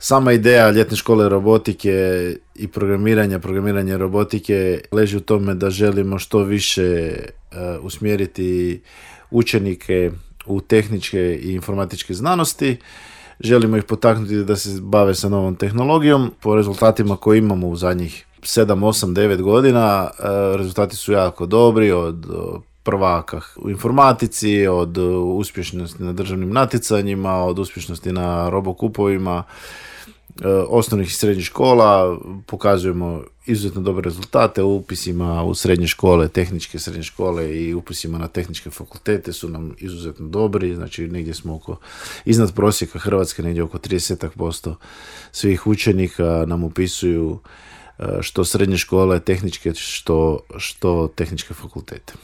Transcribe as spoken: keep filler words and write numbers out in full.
sama ideja ljetne škole robotike i programiranja, programiranja robotike leži u tome da želimo što više uh, usmjeriti učenike u tehničke i informatičke znanosti. Želimo ih potaknuti da se bave sa novom tehnologijom. Po rezultatima koje imamo u zadnjih sedam, osam, devet godina, uh, rezultati su jako dobri, od uh, prvaka u informatici, od uspješnosti na državnim natjecanjima, od uspješnosti na robokupovima osnovnih i srednjih škola. Pokazujemo izuzetno dobre rezultate u upisima u srednje škole, tehničke srednje škole i upisima na tehničke fakultete su nam izuzetno dobri, znači negdje smo oko, iznad prosjeka Hrvatske, negdje oko trideset posto svih učenika nam upisuju što srednje škole tehničke, što, što tehničke fakultete.